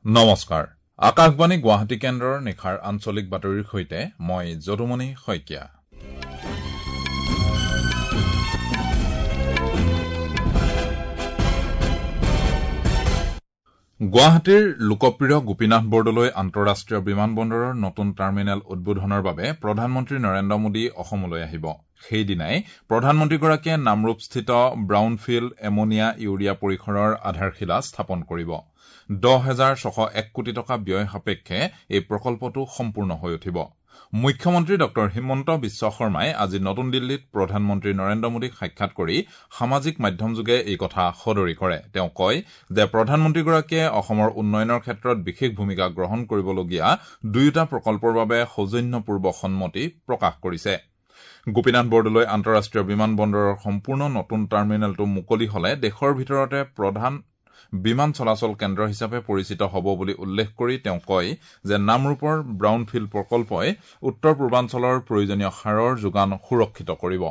নমস্কাৰ, আকাশবাণী গুৱাহাটী কেন্দ্ৰৰ নিশাৰ আঞ্চলিক বাতৰিৰ সৈতে মই যদুমণি শইকীয়া। গুৱাহাটীৰ লোকপ্ৰিয় গোপীনাথ বৰদলৈ আন্তঃৰাষ্ট্ৰীয় বিমানবন্দৰৰ নতুন টাৰ্মিনেল উদ্বোধনৰ বাবে প্ৰধানমন্ত্ৰী নৰেন্দ্ৰ মোদী অসমলৈ আহিব। সেইদিনাই প্ৰধানমন্ত্ৰীগৰাকীয়ে নামৰূপস্থিত ব্ৰাউনফিল্ড এমনিয়া ইউৰিয়া পৰিসৰৰ আধাৰশিলা স্থাপন কৰিব। ১০,৬০১ কোটি টকা ব্যয় সাপেক্ষে এই প্ৰকল্পটো সম্পূৰ্ণ হৈ উঠিব। মুখ্যমন্ত্ৰী ডঃ হিমন্ত বিশ্ব শৰ্মাই আজি নতুন দিল্লীত প্ৰধানমন্ত্ৰী নৰেন্দ্ৰ মোদীক সাক্ষাৎ কৰি সামাজিক মাধ্যমযোগে এই কথা সদৰি কৰে। তেওঁ কয় যে প্ৰধানমন্ত্ৰীগৰাকীয়ে অসমৰ উন্নয়নৰ ক্ষেত্ৰত বিশেষ ভূমিকা গ্ৰহণ কৰিবলগীয়া দুয়োটা প্ৰকল্পৰ বাবে সৌজন্যপূৰ্ব সন্মতি প্ৰকাশ কৰিছে। গোপীনাথ বৰদলৈ আন্তঃৰাষ্ট্ৰীয় বিমানবন্দৰৰ সম্পূৰ্ণ নতুন টাৰ্মিনেলটো মুকলি হলে দেশৰ ভিতৰতে প্ৰধান বিমান চলাচল কেন্দ্ৰ হিচাপে পৰিচিত হ'ব বুলি উল্লেখ কৰি তেওঁ কয় যে নামৰূপৰ ব্ৰাউনফিল্ড প্ৰকল্পই উত্তৰ পূৰ্বাঞ্চলৰ প্ৰয়োজনীয় সাৰৰ যোগান সুৰক্ষিত কৰিব।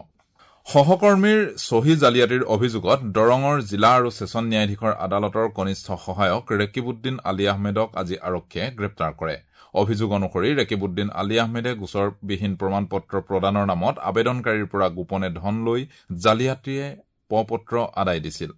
সহকৰ্মীৰ চহী জালিয়াতিৰ অভিযোগত দৰঙৰ জিলা আৰু ছেছন ন্যায়াধীশৰ আদালতৰ কনিষ্ঠ সহায়ক ৰেকিবুদ্দিন আলী আহমেদক আজি আৰক্ষীয়ে গ্ৰেপ্তাৰ কৰে। অভিযোগ অনুসৰি ৰেকিবুদ্দিন আলী আহমেদে গোচৰবিহীন প্ৰমাণপত্ৰ প্ৰদানৰ নামত আবেদনকাৰীৰ পৰা গোপনে ধন লৈ জালিয়াতিৰে প-পত্ৰ আদায় দিছিল।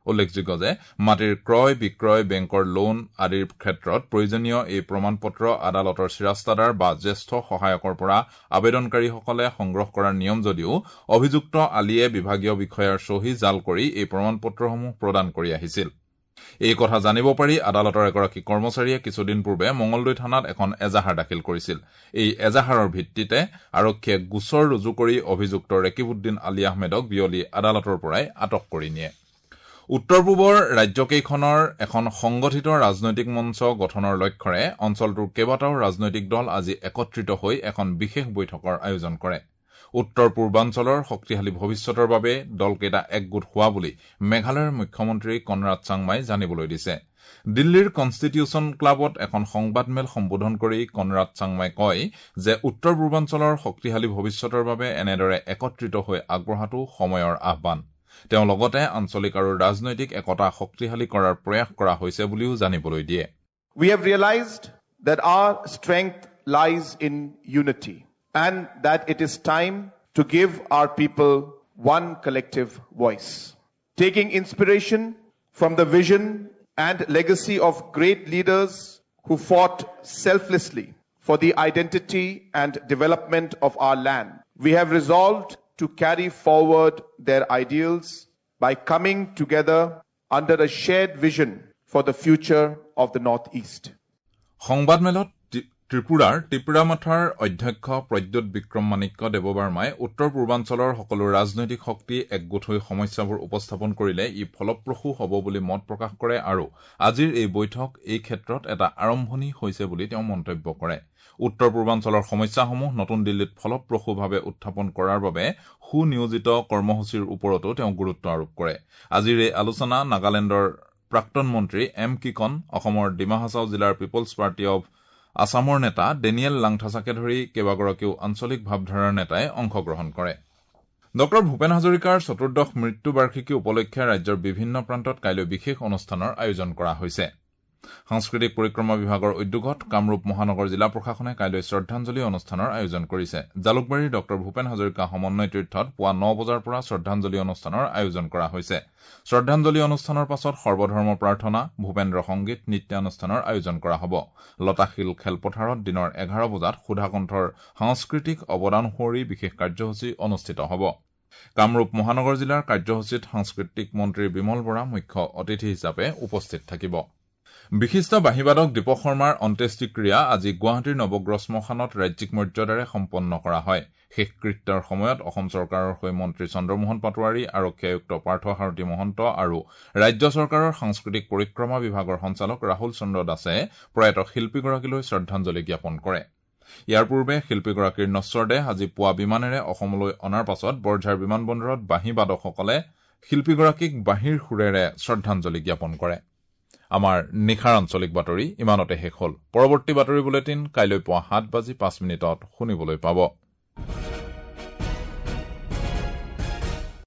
উল্লেখযোগ্য যে মাটিৰ ক্ৰয় বিক্ৰয়, বেংকৰ লোন আদিৰ ক্ষেত্ৰত প্ৰয়োজনীয় এই প্ৰমাণপত্ৰ আদালতৰ চিৰাস্তাদাৰ বা জ্যেষ্ঠ সহায়কৰ পৰা আবেদনকাৰীসকলে সংগ্ৰহ কৰাৰ নিয়ম যদিও অভিযুক্ত আলীয়ে বিভাগীয় বিষয়াৰ চহী জাল কৰি এই প্ৰমাণপত্ৰসমূহ প্ৰদান কৰি আহিছিল। এই কথা জানিব পাৰি আদালতৰ এগৰাকী কৰ্মচাৰীয়ে কিছুদিন পূৰ্বে মঙলদৈ থানাত এখন এজাহাৰ দাখিল কৰিছিল। এই এজাহাৰৰ ভিত্তিতে আৰক্ষীয়ে গোচৰ ৰুজু কৰি অভিযুক্ত ৰেকিবুদ্দিন আলী আহমেদক বিয়লি আদালতৰ পৰাই আটক কৰি নিয়ে। উত্তৰ পূবৰ ৰাজ্যকেইখনৰ এখন সংগঠিত ৰাজনৈতিক মঞ্চ গঠনৰ লক্ষ্যৰে অঞ্চলটোৰ কেইবাটাও ৰাজনৈতিক দল আজি একত্ৰিত হৈ এখন বিশেষ বৈঠকৰ আয়োজন কৰে। উত্তৰ পূৰ্বাঞ্চলৰ শক্তিশালী ভৱিষ্যতৰ বাবে দলকেইটা একগোট হোৱা বুলি মেঘালয়ৰ মুখ্যমন্ত্ৰী কনৰাড চাংমাই জানিবলৈ দিছে। দিল্লীৰ কনষ্টিটিউচন ক্লাবত এখন সংবাদমেল সম্বোধন কৰি কনৰাড চাংমাই কয় যে উত্তৰ পূৰ্বাঞ্চলৰ শক্তিশালী ভৱিষ্যতৰ বাবে এনেদৰে একত্ৰিত হৈ আগবঢ়াটো সময়ৰ আহ্বান। তেওঁ লগতে আঞ্চলিক আৰু ৰাজনৈতিক একতা শক্তিশালী কৰাৰ প্ৰয়াস কৰা হৈছে বুলিও জানিবলৈ দিয়ে। We have realized that our strength lies in unity and that it is time to give our people one collective voice. Taking inspiration from the vision and legacy of great leaders who fought selflessly for the identity and development of our land, we have resolved to carry forward their ideals by coming together under a shared vision for the future of the Northeast. সংবাদমেলত ত্ৰিপুৰাৰ ত্ৰিপুৰামথাৰ অধ্যক্ষ প্ৰদ্যুৎ বিক্ৰম মাণিক্য দেৱবাৰ্মাই উত্তৰ পূৰ্বাঞ্চলৰ সকলো ৰাজনৈতিক শক্তি একগোট হৈ সমস্যাবোৰ উপস্থাপন কৰিলে ই ফলপ্ৰসূ হ'ব বুলি মত প্ৰকাশ কৰে আৰু আজিৰ এই বৈঠক এই ক্ষেত্ৰত এটা আৰম্ভণি হৈছে বুলি তেওঁ মন্তব্য কৰে। উত্তৰ পূৰ্বাঞ্চলৰ সমস্যাসমূহ নতুন দিল্লীত ফলপ্ৰসূভাৱে উত্থাপন কৰাৰ বাবে সুনিয়োজিত কৰ্মসূচীৰ ওপৰতো তেওঁ গুৰুত্ব আৰোপ কৰে। আজিৰ এই আলোচনা নাগালেণ্ডৰ প্ৰাক্তন মন্ত্ৰী এম কিকন, অসমৰ ডিমা হাছাও জিলাৰ পিপলছ পাৰ্টি অৱ আছামৰ নেতা ডেনিয়েল লাংথাচাকে ধৰি কেইবাগৰাকীও আঞ্চলিক ভাৱধাৰাৰ নেতাই অংশগ্ৰহণ কৰে। ডঃ ভূপেন হাজৰিকাৰ চতুৰ্দশ মৃত্যু বাৰ্ষিকী উপলক্ষে ৰাজ্যৰ বিভিন্ন প্ৰান্তত কাইলৈ বিশেষ অনুষ্ঠানৰ আয়োজন কৰা হৈছে। সাংস্কৃতিক পৰিক্ৰমা বিভাগৰ উদ্যোগত কামৰূপ মহানগৰ জিলা প্ৰশাসনে কাইলৈ শ্ৰদ্ধাঞ্জলি অনুষ্ঠানৰ আয়োজন কৰিছে। জালুকবাৰীৰ ডঃ ভূপেন হাজৰিকা সমন্বয় তীৰ্থত পুৱা ৯ বজাৰ পৰা শ্ৰদ্ধাঞ্জলি অনুষ্ঠানৰ আয়োজন কৰা হৈছে। শ্ৰদ্ধাঞ্জলি অনুষ্ঠানৰ পাছত সৰ্বধৰ্ম প্ৰাৰ্থনা, ভূপেন্দ্ৰ সংগীত, নৃত্যানুষ্ঠানৰ আয়োজন কৰা হ'ব। লতাশিল খেলপথাৰত দিনৰ ১১ বজাত সুধাকণ্ঠৰ সাংস্কৃতিক অৱদান সুঁৱৰি বিশেষ কাৰ্যসূচী অনুষ্ঠিত হ'ব। কামৰূপ মহানগৰ জিলাৰ কাৰ্যসূচীত সাংস্কৃতিক মন্ত্ৰী বিমল বৰা মুখ্য অতিথি হিচাপে উপস্থিত থাকিব। বিশিষ্ট বাঁহীবাদক দীপক শৰ্মাৰ অন্ত্যেষ্টিক্ৰিয়া আজি গুৱাহাটীৰ নৱগ্ৰহ শ্মশানত ৰাজ্যিক মৰ্যাদাৰে সম্পন্ন কৰা হয়। শেষকৃত্যৰ সময়ত অসম চৰকাৰৰ হৈ মন্ত্ৰী চন্দ্ৰমোহন পাটোৱাৰী, আৰক্ষী আয়ুক্ত পাৰ্থ সাৰথী মহন্ত আৰু ৰাজ্য চৰকাৰৰ সাংস্কৃতিক পৰিক্ৰমা বিভাগৰ সঞ্চালক ৰাহুল চন্দ্ৰ দাসে প্ৰয়াত শিল্পীগৰাকীলৈ শ্ৰদ্ধাঞ্জলি জ্ঞাপন কৰে। ইয়াৰ পূৰ্বে শিল্পীগৰাকীৰ নশ্বৰদেহ আজি পুৱা বিমানেৰে অসমলৈ অনাৰ পাছত বৰঝাৰ বিমানবন্দৰত বাঁহীবাদকসকলে শিল্পীগৰাকীক বাঁহীৰ সুৰেৰে শ্ৰদ্ধাঞ্জলি জ্ঞাপন কৰে। আমাৰ নিশাৰ আঞ্চলিক বাতৰি ইমানতে শেষ হ'ল। পৰৱৰ্তী বাতৰি বুলেটিন কাইলৈ পুৱা ৭:০৫ শুনিবলৈ পাব।